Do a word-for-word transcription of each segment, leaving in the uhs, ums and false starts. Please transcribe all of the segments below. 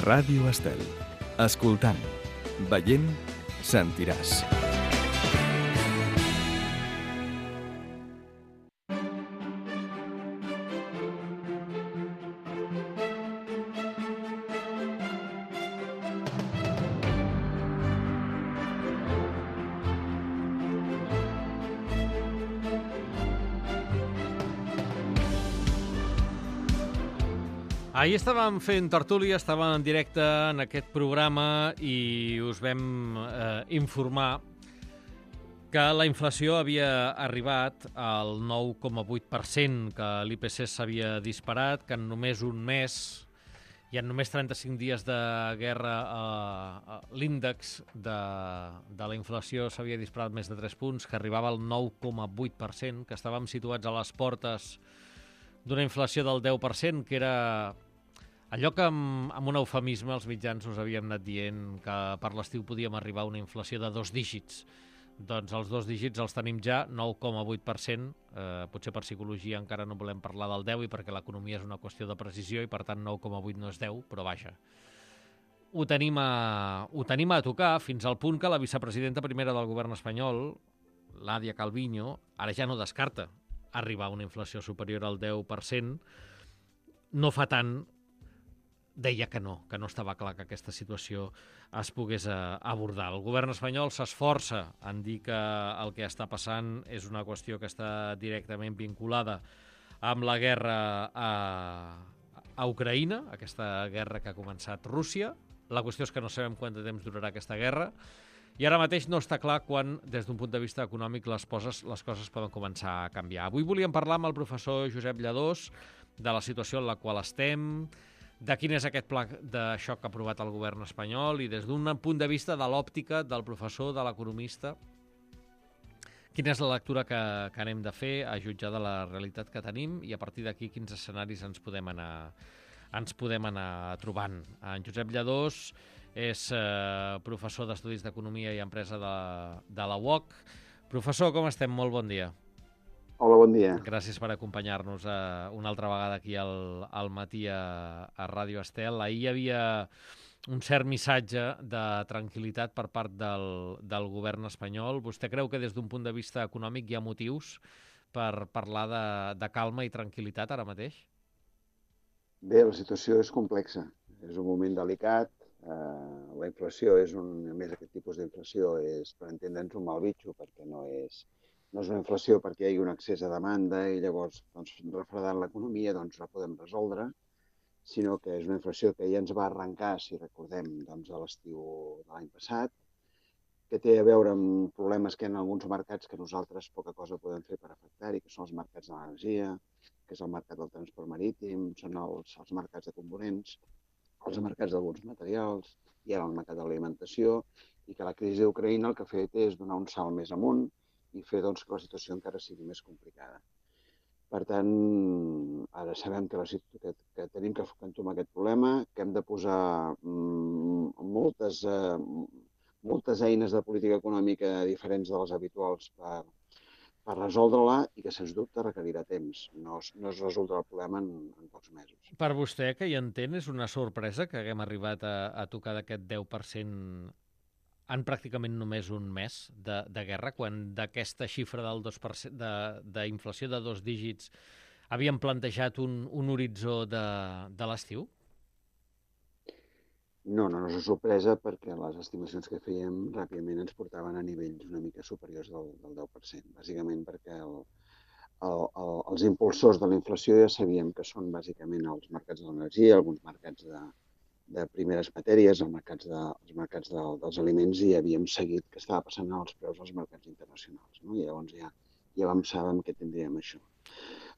Ràdio Estel. Escoltant, veient, sentiràs. Ahir estàvem fent tertúlia, estàvem en directe en aquest programa i us vam eh, informar que la inflació havia arribat al nou coma vuit per cent, que l'I P C s'havia disparat, que en només un mes i en només trenta-cinc dies de guerra eh, l'índex de, de la inflació s'havia disparat més de tres punts, que arribava al nou coma vuit per cent, que estàvem situats a les portes d'una inflació del deu per cent, que era allò que amb, amb un eufemisme els mitjans us havíem anat dient que per l'estiu podíem arribar a una inflació de dos dígits. Doncs els dos dígits els tenim ja, nou coma vuit per cent. Eh, potser per psicologia encara no volem parlar del deu i perquè l'economia és una qüestió de precisió i per tant nou coma vuit no és deu, però vaja. Ho tenim, a, ho tenim a tocar fins al punt que la vicepresidenta primera del govern espanyol, Nadia Calviño, ara ja no descarta arribar a una inflació superior al deu per cent. No fa tant deia que no, que no estava clar que aquesta situació es pogués abordar. El govern espanyol s'esforça en dir que el que està passant és una qüestió que està directament vinculada amb la guerra a, a Ucraïna, aquesta guerra que ha començat Rússia. La qüestió és que no sabem quant de temps durarà aquesta guerra i ara mateix no està clar quan, des d'un punt de vista econòmic, les coses, les coses poden començar a canviar. Avui volíem parlar amb el professor Josep Lladós de la situació en la qual estem, de quin és aquest pla de xoc que ha aprovat el govern espanyol i des d'un punt de vista de l'òptica del professor, de l'economista, quina és la lectura que, que anem de fer a jutjar de la realitat que tenim i a partir d'aquí quins escenaris ens podem anar, ens podem anar trobant. En Josep Lladós és eh, professor d'Estudis d'Economia i Empresa de, de la U O C. Professor, com estem? Molt bon dia. Hola, bon dia. Gràcies per acompanyar-nos uh, una altra vegada aquí al, al matí a, a Ràdio Estel. Ahir hi havia un cert missatge de tranquil·litat per part del, del govern espanyol. Vostè creu que des d'un punt de vista econòmic hi ha motius per parlar de, de calma i tranquil·litat ara mateix? Bé, la situació és complexa. És un moment delicat. Uh, la inflació és un... A més, aquest tipus d'inflació és, per entendre'ns, un mal bitxo, perquè no és... No és una inflació perquè hi hagi un excés de demanda i llavors, doncs, refredant l'economia, doncs, la podem resoldre, sinó que és una inflació que ja ens va arrencar, si recordem, doncs, a l'estiu de l'any passat, que té a veure amb problemes que hi ha en alguns mercats que nosaltres poca cosa podem fer per afectar-hi, que són els mercats de l'energia, que és el mercat del transport marítim, són els, els mercats de components, els mercats d'alguns materials, i ara el mercat de l'alimentació, i que la crisi d'Ucraïna el que ha fet és donar un salt més amunt i fer doncs, que la situació encara sigui més complicada. Per tant, ara sabem que, la que, que tenim que entomar aquest problema, que hem de posar mm, moltes, eh, moltes eines de política econòmica diferents de les habituals per, per resoldre-la i que, sens dubte, requerirà temps. No, no es resoldrà el problema en, en pocs mesos. Per vostè, que hi entén, és una sorpresa que haguem arribat a, a tocar d'aquest deu per cent en pràcticament només un mes de, de guerra, quan d'aquesta xifra del dos per cent d'inflació de, de dos dígits havíem plantejat un, un horitzó de, de l'estiu? No, no, no és una sorpresa perquè les estimacions que fèiem ràpidament ens portaven a nivells una mica superiors del, del deu per cent, bàsicament perquè el, el, el, els impulsors de la inflació ja sabíem que són bàsicament els mercats de l'energia, alguns mercats de de primeres matèries, els mercats, de, els mercats de, dels aliments, i havíem seguit que estava passant als preus dels mercats internacionals. No? I llavors ja, ja vam saber què tindríem això.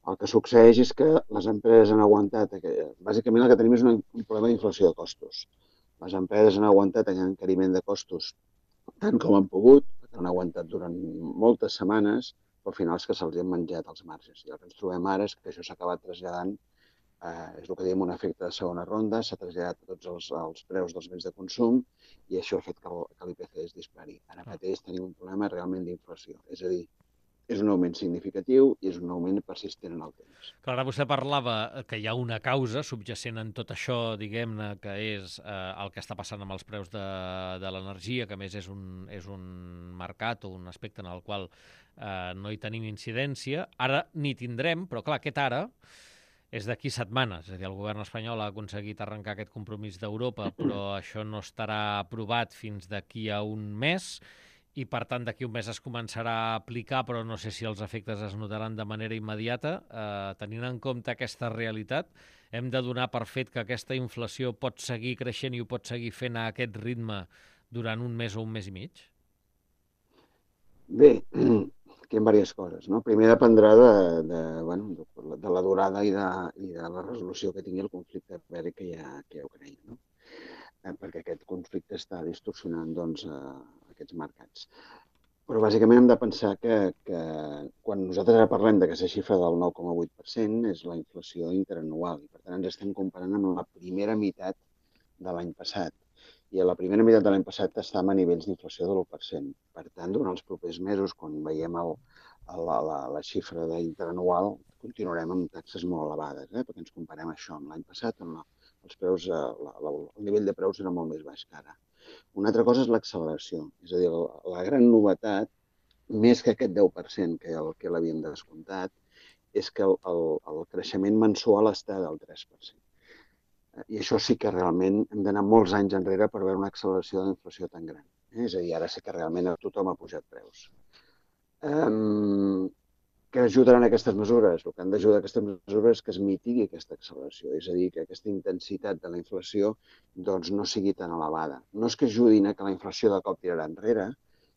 El que succeeix és que les empreses han aguantat, que, bàsicament el que tenim és un, un problema d'inflació de costos. Les empreses han aguantat aquest encariment de costos tant com han pogut, perquè han aguantat durant moltes setmanes, però al final és que se'ls han menjat els marges. I el que ens trobem ara és que això s'ha acabat traslladant. Uh, és el que diem un efecte de segona ronda, s'ha traslladat a tots els, els preus dels béns de consum i això ha fet que l'I P C es dispari. Ara mateix tenim un problema realment d'inflació. És a dir, és un augment significatiu i és un augment persistent en el temps. Clar, ara vostè parlava que hi ha una causa subjacent en tot això, diguem-ne, que és eh, el que està passant amb els preus de, de l'energia, que a més és un, és un mercat o un aspecte en el qual eh, no hi tenim incidència. Ara n'hi tindrem, però clar, aquest ara és d'aquí setmanes. És a dir, el govern espanyol ha aconseguit arrencar aquest compromís d'Europa, però això no estarà aprovat fins d'aquí a un mes, i per tant d'aquí un mes es començarà a aplicar, però no sé si els efectes es notaran de manera immediata. Eh, tenint en compte aquesta realitat, hem de donar per fet que aquesta inflació pot seguir creixent i ho pot seguir fent a aquest ritme durant un mes o un mes i mig? Bé, aquí hi ha diverses coses, no? Primer dependrà de, de, bueno, de, de la durada i de, i de la resolució que tingui el conflicte bèl·lic que hi ha, que hi ha a Ucraïna, no? Eh, perquè aquest conflicte està distorsionant, doncs, eh, aquests mercats. Però bàsicament hem de pensar que, que quan nosaltres ara parlem d'aquesta xifra del nou coma vuit per cent és la inflació interanual i per tant ens estem comparant amb la primera meitat de l'any passat. I a la primera meitat de l'any passat estàvem a nivells d'inflació de l'u per cent. Per tant, durant els propers mesos, quan veiem el, el, la, la xifra interanual, continuarem amb taxes molt elevades, eh? Perquè ens comparem això amb l'any passat, on la, els preus, la, la, el nivell de preus era molt més baix que ara. Una altra cosa és l'acceleració, és a dir, la, la gran novetat, més que aquest deu per cent que el que l'havíem descomptat, és que el, el, el creixement mensual està del tres per cent. I això sí que realment hem d'anar molts anys enrere per veure una acceleració de la inflació tan gran. És a dir, ara sí que realment tothom ha pujat preus. Um, Què ajudaran aquestes mesures? El que han d'ajudar aquestes mesures és que es mitigui aquesta acceleració, és a dir, que aquesta intensitat de la inflació doncs, no sigui tan elevada. No és que ajudin a que la inflació de cop tirarà enrere,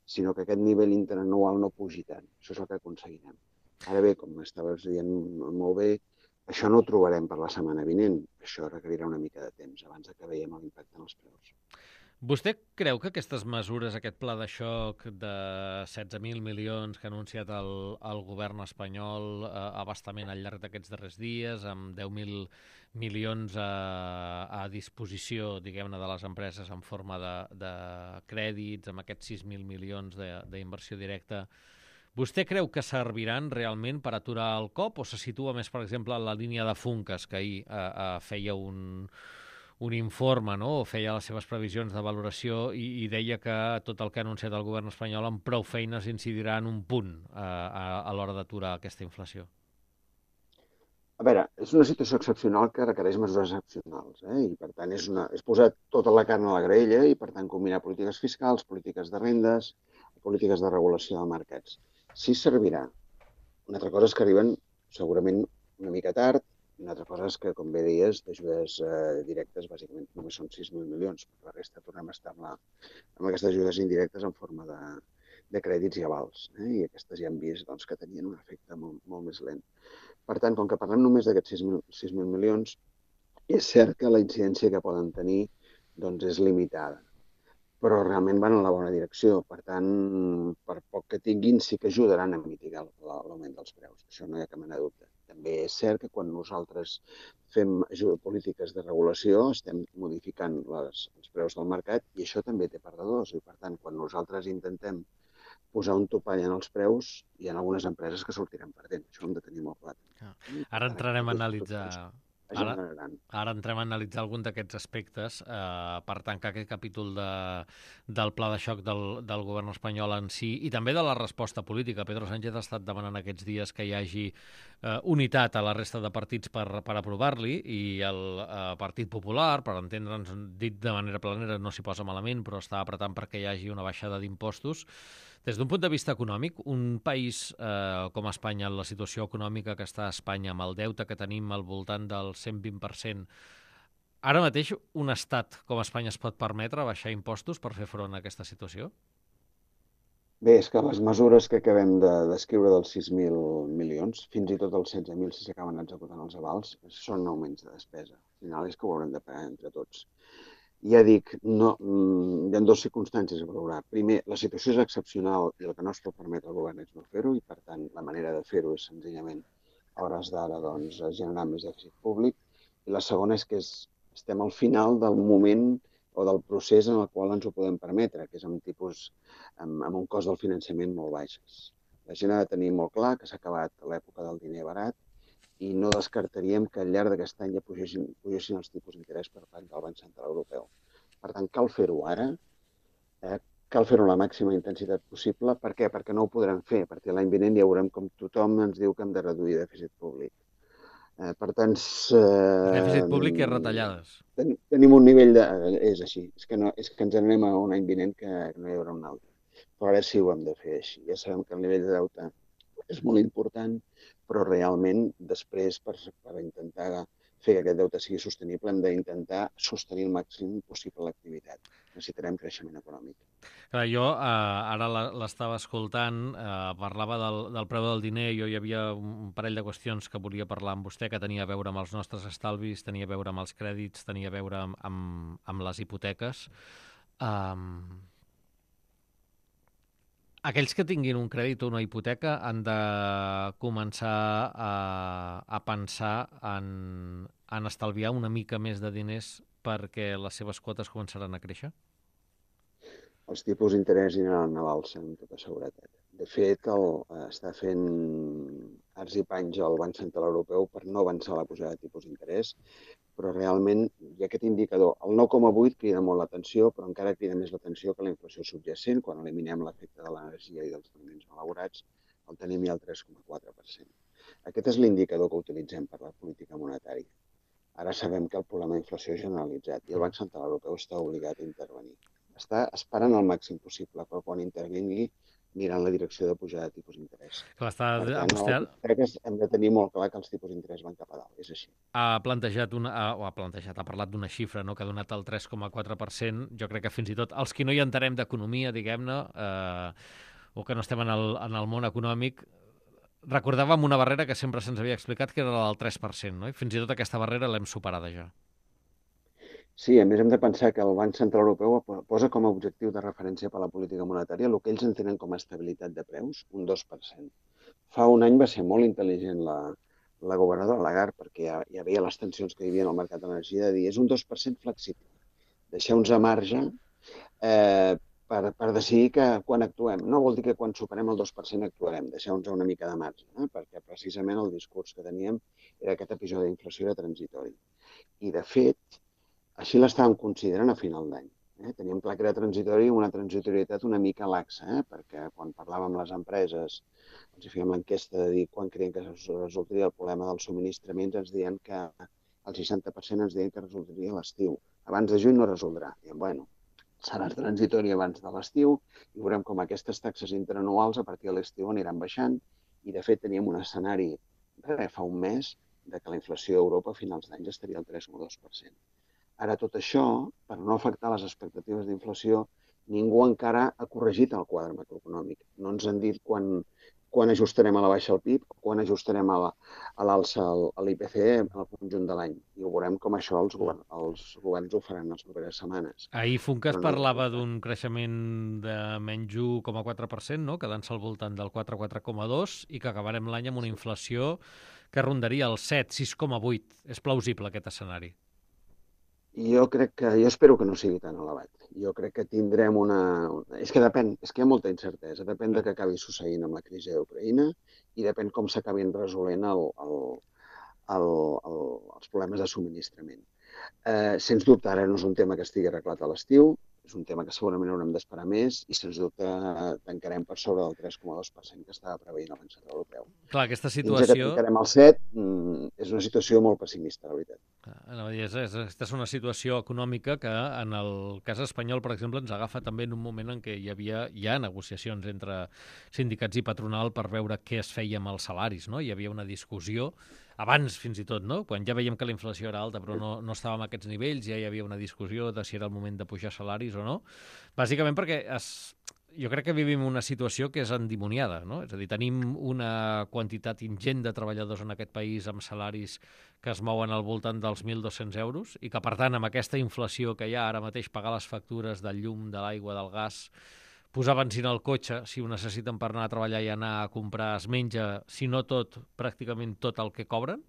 sinó que aquest nivell interanual no pugi tant. Això és el que aconseguirem. Ara bé, com estaves dient molt bé, això no ho trobarem per la setmana vinent. Això requerirà una mica de temps abans que veiem l'impacte en els preus. Vostè creu que aquestes mesures, aquest pla de xoc de setze mil milions que ha anunciat el, el govern espanyol eh, abastament al llarg d'aquests darrers dies, amb deu mil milions a, a disposició, diguem-ne, de les empreses en forma de, de crèdits, amb aquests sis mil milions d'inversió directa, vostè creu que serviran realment per aturar el cop o se situa més, per exemple, en la línia de Funcas, que ahir eh, eh, feia un... un informe, no? O feia les seves previsions de valoració i, i deia que tot el que ha anunciat el govern espanyol amb prou feines incidirà en un punt eh, a, a l'hora d'aturar aquesta inflació? A veure, és una situació excepcional que requereix mesures excepcionals, eh? I per tant és, una, és posar tota la carn a la graella i per tant combinar polítiques fiscals, polítiques de rendes, polítiques de regulació de mercats. Sí servirà. Una altra cosa és que arriben segurament una mica tard. Una altra cosa és que, com bé deies, d'ajudes eh, directes bàsicament només són sis mil milions. Per la resta tornem a estar amb, la, amb aquestes ajudes indirectes en forma de, de crèdits i avals. Eh? I aquestes ja hem vist doncs, que tenien un efecte molt, molt més lent. Per tant, com que parlem només d'aquests sis mil milions, és cert que la incidència que poden tenir doncs, és limitada. Però realment van en la bona direcció. Per tant, per poc que tinguin, sí que ajudaran a mitigar l'augment dels preus. Això no hi ha cap mena de dubte. També és cert que quan nosaltres fem polítiques de regulació estem modificant les, els preus del mercat i això també té perdedors. I, per tant, quan nosaltres intentem posar un topall en els preus, hi ha algunes empreses que sortiran perdent. Això ho hem de tenir molt clar. Ara entrarem a analitzar... Ara, ara entrem a analitzar algun d'aquests aspectes eh, per tancar aquest capítol de, del pla de xoc del, del govern espanyol en si i també de la resposta política. Pedro Sánchez ha estat demanant aquests dies que hi hagi eh, unitat a la resta de partits per, per aprovar-li i el eh, Partit Popular, per entendre'ns dit de manera planera, no s'hi posa malament, però està apretant perquè hi hagi una baixada d'impostos. Des d'un punt de vista econòmic, un país eh, com Espanya, en la situació econòmica que està a Espanya, amb el deute que tenim al voltant del cent vint per cent, ara mateix un estat com Espanya es pot permetre baixar impostos per fer front a aquesta situació? Bé, és que les mesures que acabem de descriure dels sis mil milions, fins i tot els setze mil si s'acaben executant els avals, són augments de despesa. Al final és que ho haurem de pagar entre tots. Ja dic, no, hi ha dues circumstàncies a valorar. Primer, la situació és excepcional i el que no es pot permetre al govern és no fer-ho i, per tant, la manera de fer-ho és senzillament a hores d'ara doncs, generar més dèficit públic. I la segona és que és, estem al final del moment o del procés en el qual ens ho podem permetre, que és amb tipus, amb, amb un cost del finançament molt baixes. La gent ha de tenir molt clar que s'ha acabat l'època del diner barat i no descartaríem que al llarg d'aquest any ja pugessin, pugessin els tipus d'interès per part del Banc Central Europeu. Per tant, cal fer-ho ara, eh? Cal fer-ho amb la màxima intensitat possible. Per què? Perquè no ho podrem fer, perquè l'any vinent ja veurem com tothom ens diu que hem de reduir dèficit públic. Eh, per tant... Eh, dèficit públic i retallades. Ten, tenim un nivell de... És així, és que, no, és que ens anem a un any vinent que no hi haurà un altre. Però ara sí ho hem de fer així. Ja sabem que el nivell de deute és molt important, però realment després per, per intentar fer que aquest deute sigui sostenible hem d'intentar sostenir el màxim possible l'activitat. Necessitarem creixement econòmic. Clar, jo eh, ara l'estava escoltant, eh, parlava del, del preu del diner, jo hi havia un parell de qüestions que volia parlar amb vostè, que tenia a veure amb els nostres estalvis, tenia a veure amb els crèdits, tenia a veure amb, amb, amb les hipoteques. Um, aquells que tinguin un crèdit o una hipoteca han de començar a, a pensar en, en estalviar una mica més de diners perquè les seves quotes començaran a créixer? Els tipus d'interès aniran a l'alça, amb tota seguretat. De fet, el, està fent arts i panys al Banc Central Europeu per no avançar la pujada de tipus d'interès, però realment hi ha aquest indicador. El nou coma vuit crida molt l'atenció, però encara crida més l'atenció que la inflació subjacent. Quan eliminem l'efecte de l'energia i dels aliments malaurats, el tenim ja al tres coma quatre per cent. Aquest és l'indicador que utilitzem per la política monetària. Ara sabem que el problema d'inflació és generalitzat i el Banc Central Europeu està obligat a intervenir. Està esperant el màxim possible, però quan intervingui anirà en la direcció de pujada de tipus d'interès. Per tant, vostè... crec que hem de tenir molt clar que els tipus d'interès van cap a dalt, és així. Ha plantejat, una, o ha plantejat, ha parlat d'una xifra, no?, que ha donat el tres coma quatre per cent. Jo crec que fins i tot els que no hi entenem d'economia, diguem-ne, eh, o que no estem en el, en el món econòmic, recordàvem una barrera que sempre se'ns havia explicat, que era la del tres per cent, no? I fins i tot aquesta barrera l'hem superada ja. Sí, a més hem de pensar que el Banc Central Europeu posa com a objectiu de referència per a la política monetària el que ells entenen com a estabilitat de preus, un dos per cent. Fa un any va ser molt intel·ligent la, la governadora Lagarde, perquè ja, ja veia les tensions que hi havia en el mercat de l'energia, de dir és un dos per cent flexible. Deixeu-nos a marge eh, per, per decidir que quan actuem. No vol dir que quan superem el dos per cent actuarem, deixeu-nos una mica de marge, eh? Perquè precisament el discurs que teníem era que aquest episodi d'inflació era transitori. I de fet, així l'estàvem considerant a final d'any. Eh? Teníem clar que era transitori i una transitorietat una mica laxa, eh? Perquè quan parlàvem amb les empreses, els fèiem l'enquesta de dir quan creien que resultaria el problema dels subministraments, ens deien que el seixanta per cent ens deien que resultaria a l'estiu. Abans de juny no resoldrà. Diem, bueno, serà transitori abans de l'estiu i veurem com aquestes taxes interanuals a partir de l'estiu aniran baixant i de fet teníem un escenari res, fa un mes de que la inflació a Europa a finals d'any estaria al tres coma dos per cent. Ara, tot això, per no afectar les expectatives d'inflació, ningú encara ha corregit el quadre macroeconòmic. No ens han dit quan, quan ajustarem a la baixa el P I B o quan ajustarem a l'alça l'I P C E en el conjunt de l'any. I ho veurem com això els, govern, els governs ho faran les properes setmanes. Ahir Funcas no, parlava d'un creixement de menys un coma quatre per cent, no?, quedant-se al voltant del quatre coma quatre coma dos i que acabarem l'any amb una inflació que rondaria el set, sis coma vuit. És plausible aquest escenari? Jo crec que, jo espero que no sigui tan elevat. Jo crec que tindrem una... És que depèn, és que hi ha molta incertesa. Depèn de què acabi succeint amb la crisi d'Ucraïna i depèn com s'acabin resolent el, el, el, el, els problemes de subministrament. Eh, sens dubte, ara no és un tema que estigui arreglat a l'estiu, és un tema que segurament haurem d'esperar més i, sens dubte, tancarem per sobre del tres coma dos per cent que estava preveient el Banc Central Europeu. Clar, aquesta situació... Fins que tancarem el set, és una situació molt pessimista, la veritat. No, és, és, aquesta és una situació econòmica que, en el cas espanyol, per exemple, ens agafa també en un moment en què hi havia ja negociacions entre sindicats i patronal per veure què es feia amb els salaris, no? Hi havia una discussió abans, fins i tot, no? Quan ja veiem que la inflació era alta però no, no estava a aquests nivells, ja hi havia una discussió de si era el moment de pujar salaris o no. Bàsicament perquè es, jo crec que vivim una situació que és endimoniada, no? És a dir, tenim una quantitat ingent de treballadors en aquest país amb salaris que es mouen al voltant dels mil dos-cents euros i que, per tant, amb aquesta inflació que hi ha ara mateix, pagar les factures del llum, de l'aigua, del gas, posar benzina al cotxe, si ho necessiten per anar a treballar i anar a comprar, es menja, si no tot, pràcticament tot el que cobren.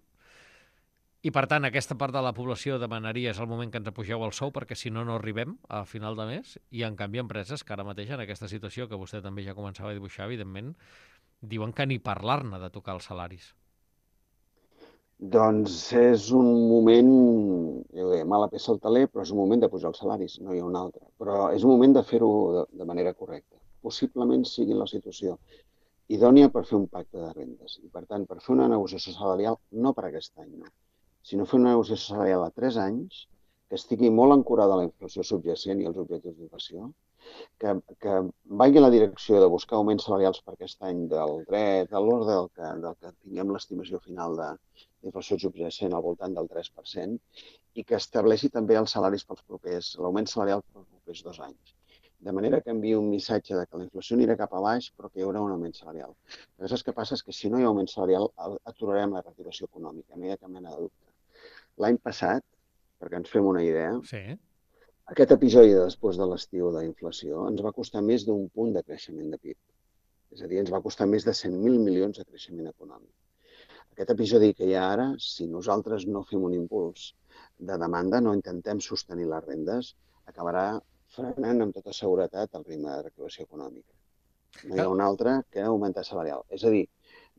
I, per tant, aquesta part de la població demanaria és el moment que ens apugeu el sou perquè, si no, no arribem a final de mes. I, en canvi, empreses que ara mateix, en aquesta situació que vostè també ja començava a dibuixar, evidentment, diuen que ni parlar-ne de tocar els salaris. Doncs és un moment, jo deia, mala peça al taler, però és un moment de pujar els salaris, no hi ha un altre. Però és un moment de fer-ho de, de manera correcta. Possiblement sigui la situació idònia per fer un pacte de rendes. I, per tant, per fer una negociació salarial, no per aquest any, no, sinó fer una negociació salarial a tres anys, que estigui molt ancorada a la inflació subjacent i als objectius d'inflació, que, que vagi en la direcció de buscar augments salarials per aquest any del dret, de l'ordre del que, del que tinguem l'estimació final de d'inflació subjacent al voltant del tres per cent i que estableixi també els salaris pels propers, l'augment salarial pels propers dos anys. De manera que enviï un missatge de que la inflació anirà cap a baix però que hi haurà un augment salarial. Però saps què passa? És que si no hi ha augment salarial aturarem la reactivació econòmica, no hi ha cap mena de dubte. L'any passat, perquè ens fem una idea, sí. Aquest episodi de després de l'estiu d'inflació ens va costar més d'un punt de creixement de P I B. És a dir, ens va costar més de cent mil milions de creixement econòmic. Aquest episodi que hi ha ara, si nosaltres no fem un impuls de demanda, no intentem sostenir les rendes, acabarà frenant amb tota seguretat el ritme de reactivació econòmica. No hi ha un altre que augmentar salarial. És a dir,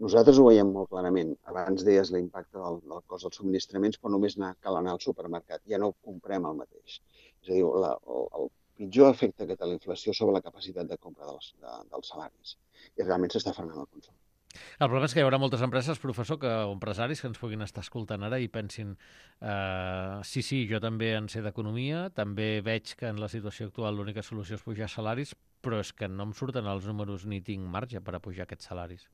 nosaltres ho veiem molt clarament. Abans deies l'impacte del, del cost dels subministraments, però només anar, cal anar al supermercat. Ja no comprem el mateix. És a dir, la, el, el pitjor efecte que té la inflació sobre la capacitat de compra dels, de, dels salaris. I realment s'està frenant el consum. El problema és que hi haurà moltes empreses, professor, que, o empresaris que ens puguin estar escoltant ara i pensin eh, sí, sí, jo també en sé d'economia, també veig que en la situació actual l'única solució és pujar salaris, però és que no em surten els números ni tinc marge per a pujar aquests salaris.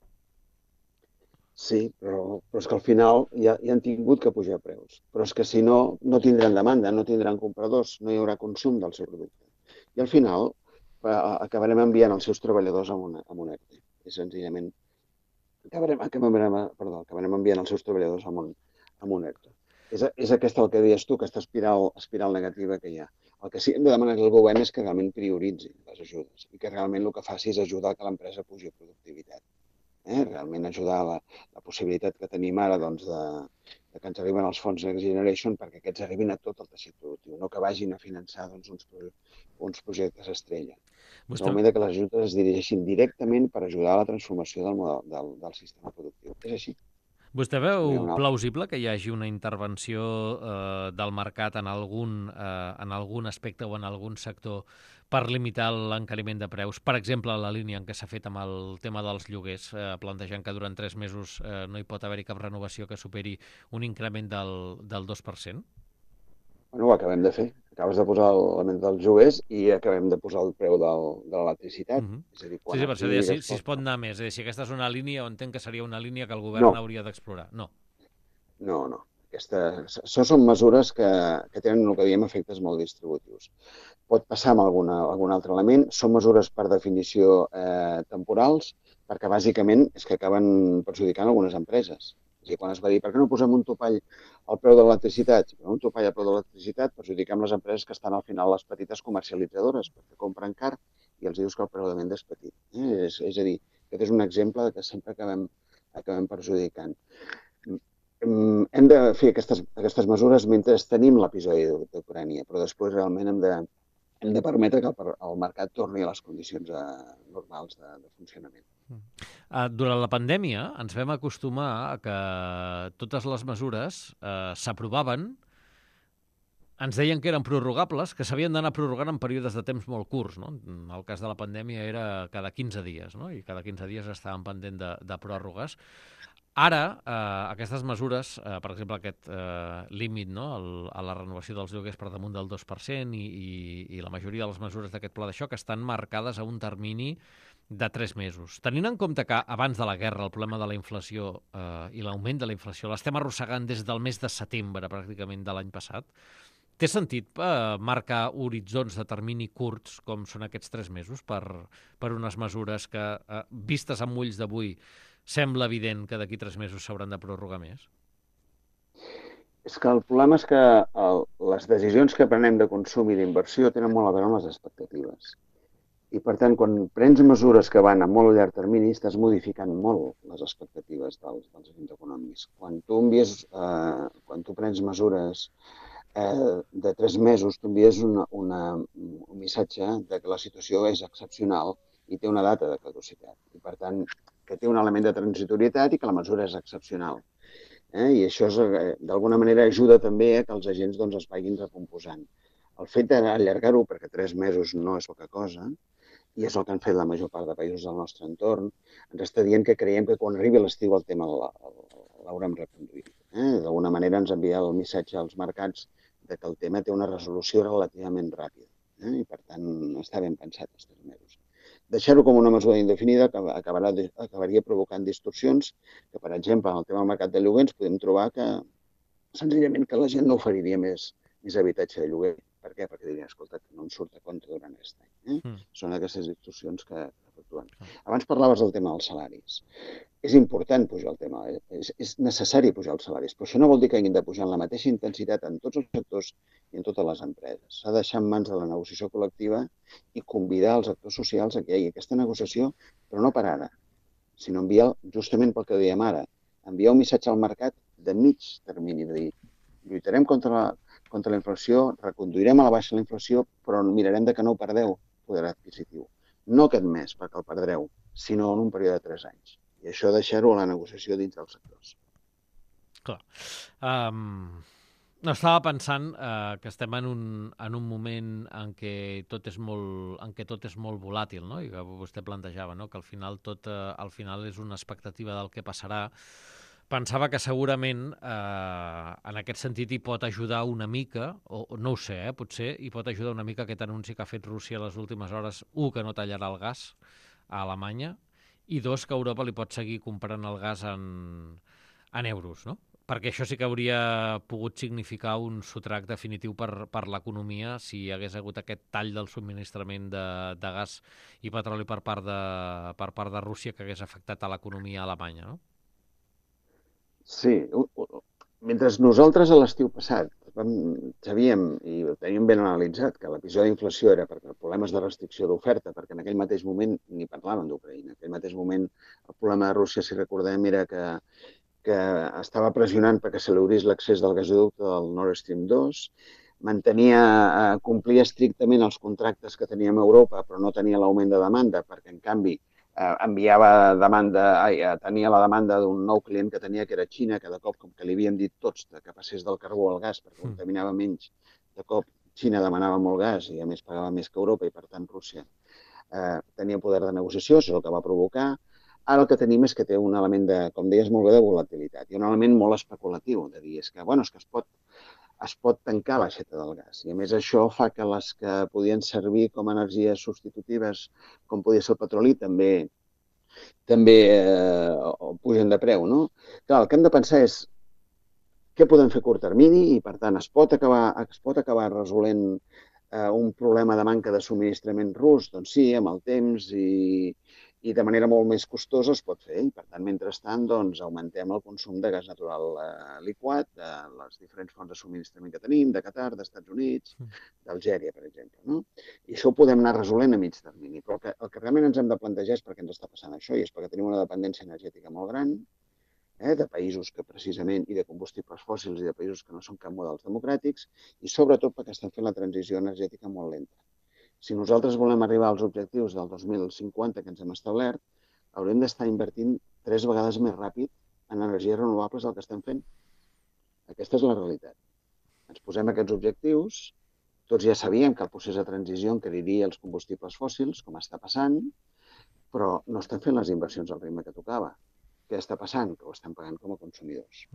Sí, però, però és que al final ja, ja han tingut que pujar preus. Però és que si no, no tindran demanda, no tindran compradors, no hi haurà consum del seu producte. I al final eh, acabarem enviant els seus treballadors a un, a un E R T E. És senzillament Acabarem, acabarem, perdó, acabarem enviant els seus treballadors a un, a un E R T E. És, és aquesta el que deies tu, aquesta espiral, espiral negativa que hi ha. El que sí que hem de demanar al govern és que realment prioritzi les ajudes i que realment el que faci és ajudar que l'empresa pugi productivitat. Eh? Realment ajudar la, la possibilitat que tenim ara doncs, de, de que ens arriben els fons Next Generation perquè aquests arribin a tot el teixit productiu, no que vagin a finançar doncs, uns, uns projectes estrella. És el moment que les ajudes es dirigeixin directament per ajudar a la transformació del, model, del, del sistema productiu. És així. Vostè veu plausible que hi hagi una intervenció eh, del mercat en algun, eh, en algun aspecte o en algun sector per limitar l'encariment de preus? Per exemple, la línia en què s'ha fet amb el tema dels lloguers, eh, plantejant que durant tres mesos eh, no hi pot haver-hi cap renovació que superi un increment del, del dos per cent? Bueno, ho acabem de fer. Acabes de posar l'element dels joguers i acabem de posar el preu del, de l'electricitat. Uh -huh. És a dir, sí, sí, per això deia, si, si es pot anar més. És a dir, si aquesta és una línia, entenc que seria una línia que el govern no. hauria d'explorar. No. No, no. Aquesta, això són mesures que, que tenen el que diem efectes molt distributius. Pot passar amb alguna, algun altre element. Són mesures per definició eh, temporals, perquè bàsicament és que acaben perjudicant algunes empreses. És a dir, quan es va dir, per què no posem un topall al preu de l'electricitat? Si posem un topall al preu de l'electricitat, perjudiquem les empreses que estan al final les petites comercialitzadores, perquè compren car i els dius que el preu de venda és petit. Eh? És, és a dir, aquest és un exemple de que sempre acabem, acabem perjudicant. Hem de fer aquestes, aquestes mesures mentre tenim l'episodi d'Ucrània, però després realment hem de, hem de permetre que el, el mercat torni a les condicions eh, normals de, de funcionament. Uh, durant la pandèmia ens vam acostumar a que totes les mesures uh, s'aprovaven, ens deien que eren prorrogables, que s'havien d'anar prorrogant en períodes de temps molt curts. No? En el cas de la pandèmia era cada quinze dies, no? I cada quinze dies estàvem pendent de, de pròrrogues. Ara, eh, aquestes mesures, eh, per exemple, aquest eh, límit no? El, a la renovació dels lloguers per damunt del dos per cent i, i, i la majoria de les mesures d'aquest pla de xoc estan marcades a un termini de tres mesos. Tenint en compte que abans de la guerra el problema de la inflació eh, i l'augment de la inflació l'estem arrossegant des del mes de setembre pràcticament de l'any passat, té sentit eh, marcar horitzons de termini curts com són aquests tres mesos per, per unes mesures que, eh, vistes amb ulls d'avui, sembla evident que d'aquí tres mesos s'hauran de prorrogar més? És que el problema és que el, les decisions que prenem de consum i d'inversió tenen molt a veure amb les expectatives. I, per tant, quan prens mesures que van a molt llarg termini, estàs modificant molt les expectatives dels, dels agents econòmics. Quan tu envies, eh, quan tu prens mesures eh, de tres mesos, tu envies una, una, un missatge de que la situació és excepcional i té una data de caducitat. I, per tant, que té un element de transitorietat i que la mesura és excepcional. Eh? I això eh, d'alguna manera ajuda també a que els agents doncs, es vagin recomposant. El fet d'allargar-ho, perquè tres mesos no és poca cosa, i és el que han fet la major part de països del nostre entorn, ens està dient que creiem que quan arribi l'estiu el tema l'haurem reconduït. Eh? D'alguna manera ens envia el missatge als mercats de que el tema té una resolució relativament ràpida. Eh? I, per tant, està ben pensat els tres mesos. Deixar-ho com una mesura indefinida acabarà, acabaria provocant distorsions que, per exemple, en el tema del mercat de lloguer ens podem trobar que, senzillament, que la gent no oferiria més, més habitatge de lloguer. Per què? Perquè dirien, escolta, que no em surt a compte durant aquest any. Eh? Mm. Són aquestes distorsions que efectuen. Mm. Abans parlaves del tema dels salaris. És important pujar el tema, és, és necessari pujar els salaris, però això no vol dir que hagin de pujar en la mateixa intensitat en tots els sectors i en totes les empreses. S'ha de deixar en mans de la negociació col·lectiva i convidar els actors socials a que hi hagi aquesta negociació, però no per ara, sinó enviar, justament pel que dèiem ara, enviar un missatge al mercat de mig termini, de dir, lluitarem contra la, contra la inflació, reconduirem a la baixa la inflació, però mirarem de que no perdeu poder adquisitiu. No aquest mes, perquè el perdreu, sinó en un període de tres anys. I això deixar-ho a la negociació dins dels sectors. Clar. Um, no, estava pensant uh, que estem en un, en un moment en què tot és molt, en què tot és molt volàtil, no? I que vostè plantejava, no? Que al final tot uh, al final és una expectativa del que passarà. Pensava que segurament eh, en aquest sentit hi pot ajudar una mica, o, o no ho sé, eh, potser hi pot ajudar una mica aquest anunci que ha fet Rússia les últimes hores, un, que no tallarà el gas a Alemanya, i dos, que Europa li pot seguir comprant el gas en, en euros, no? Perquè això sí que hauria pogut significar un sotrac definitiu per, per l'economia si hi hagués hagut aquest tall del subministrament de, de gas i petroli per part de, per part de Rússia que hagués afectat a l'economia alemanya, no? Sí, mentre nosaltres a l'estiu passat vam, sabíem i ho teníem ben analitzat que l'episodi d'inflació era per problemes de restricció d'oferta, perquè en aquell mateix moment ni parlaven d'Ucraïna. En aquell mateix moment el problema de Rússia, si recordem, era que, que estava pressionant perquè se li obrís l'accés del gasoducte del Nord Stream dos, mantenia, eh, complia estrictament els contractes que teníem a Europa, però no tenia l'augment de demanda, perquè en canvi Eh, enviava demanda, ai, tenia la demanda d'un nou client que tenia, que era Xina, que de cop, com que li havíem dit tots que passés del carbó al gas perquè contaminava menys, de cop Xina demanava molt gas i a més pagava més que Europa i per tant Rússia eh, tenia poder de negociació, això és el que va provocar. Ara el que tenim és que té un element de, com deies molt bé, de volatilitat i un element molt especulatiu, de dir, és que, bueno, és que es pot es pot tancar l'aixeta del gas. I a més això fa que les que podien servir com a energies substitutives, com podia ser el petroli, també, també eh, pugen de preu, no? Clar, el que hem de pensar és què podem fer a curt termini i, per tant, es pot acabar, es pot acabar resolent eh, un problema de manca de subministrament rus? Doncs sí, amb el temps i, i de manera molt més costosa es pot fer. I, per tant, mentrestant, doncs, augmentem el consum de gas natural eh, liquat de les diferents fonts de subministrament que tenim, de Qatar, dels Estats Units, d'Algèria, per exemple. No? I això ho podem anar resolent a mig termini. Però el que, el que realment ens hem de plantejar és per què ens està passant això, i és perquè tenim una dependència energètica molt gran, eh, de països que precisament, i de combustibles fòssils i de països que no són cap models democràtics, i sobretot perquè estan fent la transició energètica molt lenta. Si nosaltres volem arribar als objectius del dos mil cinquanta que ens hem establert, haurem d'estar invertint tres vegades més ràpid en energies renovables del que estem fent. Aquesta és la realitat. Ens posem aquests objectius, tots ja sabíem que el procés de transició encariria els combustibles fòssils, com està passant, però no estem fent les inversions al ritme que tocava. Què està passant? Que ho estem pagant com a consumidors.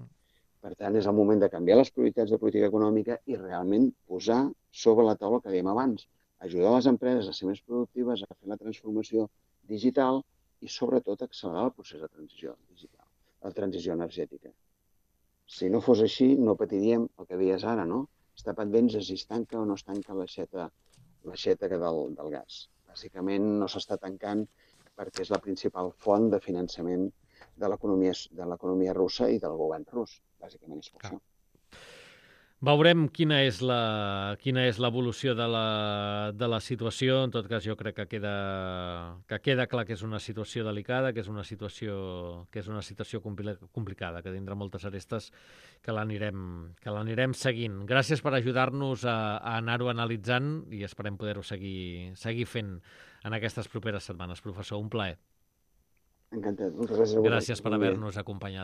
Per tant, és el moment de canviar les prioritats de política econòmica i realment posar sobre la taula el que dèiem abans, ajudar les empreses a ser més productives, a fer la transformació digital i, sobretot, accelerar el procés de transició digital, la transició energètica. Si no fos així, no patiríem el que deies ara, no? Estar pendents de si es tanca o no es tanca l'aixeta del, del gas. Bàsicament, no s'està tancant perquè és la principal font de finançament de l'economia russa i del govern rus. Bàsicament és per això. Veurem quina és la quina és l'evolució de la, de la situació. En tot cas, jo crec que queda, que queda clar que és una situació delicada, que és una situació, que és una situació complicada, que tindrà moltes arestes que l'anirem que l'anirem seguint. Gràcies per ajudar-nos a, a anar-ho analitzant i esperem poder-ho seguir, seguir fent en aquestes properes setmanes. Professor, un plaer. Encantat. Moltes gràcies a vosaltres. Gràcies per Molt bé. haver-nos acompanyat.